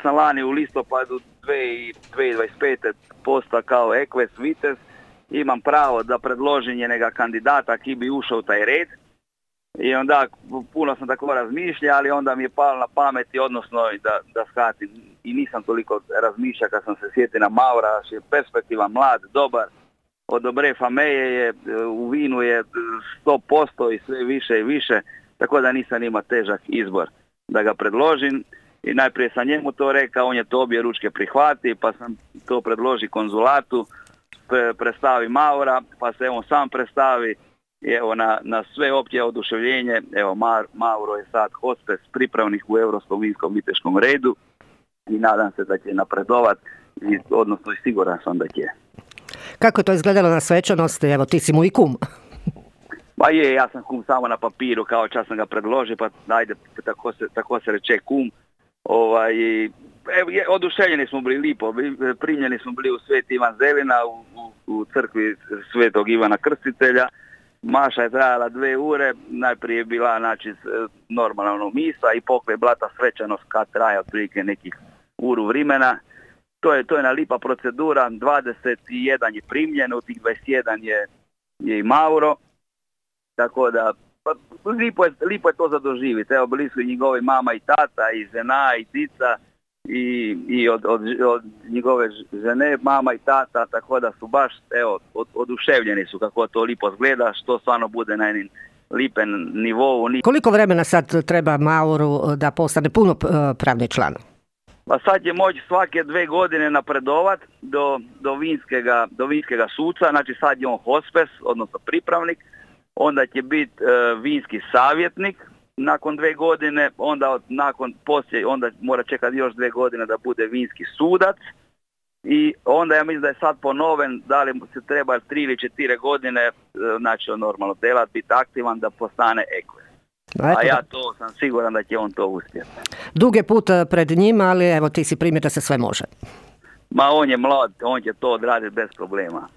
sam lani u listopadu 2025. postao kao Equest Vitez, imam pravo da predložim njega kandidata ki bi ušao u taj red. I onda puno sam tako razmišljao, ali onda mi je palo na pameti, odnosno da shvatim, i nisam toliko razmišljao kad sam se sjetio na Maura, je perspektivan, mlad, dobar, od dobre fameje je, u vinu je 100% i sve više i više, tako da nisam imao težak izbor da ga predložim. I najprije sam njemu to rekao, on je to obje ručke prihvati, pa sam to predloži konzulatu, predstavi Maura, pa se on sam predstavi. I evo na sve opće oduševljenje, evo Mauro je sad hospes pripravnik u Europskom vinskom viteškom redu i nadam se da će napredovat, odnosno i siguran sam da će. Kako je to izgledalo na svečanosti? Evo, ti si mu i kum. Pa ja sam kum samo na papiru, kao čas sam ga predložio, pa ajde, tako se reče kum. Oduševljeni smo bili lipo, primljeni smo bili u Sveti Ivan Zelina, u crkvi Svetog Ivana Krstitelja. Maša je trajala 2 ure, najprije je bila normalna misa i poklej blata svečanost kad traja otprilike nekih uru vremena. To je jedna lipa procedura, 21 je primljen, u tih 21 je i Mauro, tako da lipo je to za doživjeti. Evo, bili su i njegovi mama i tata, i žena, i cica, i od njegove žene, mama i tata, tako da su baš, evo, oduševljeni su kako to lipo zgleda, što stvarno bude na jednim lipen nivou. Koliko vremena sad treba Mauru da postane punopravni član? Pa sad će moći svake 2 godine napredovat do vinskega suca, znači sad je on hospes, odnosno pripravnik, onda će biti vinski savjetnik nakon 2 godine, onda onda mora čekati još 2 godine da bude vinski sudac i onda ja mislim da je sad ponoven, da li se treba 3 ili 4 godine, znači on normalno delat, biti aktivan da postane Equest. A ja to sam siguran da će on to uspjeti. Dug je put pred njima, ali evo ti si primjer da se sve može. Ma on je mlad, on će to odraditi bez problema.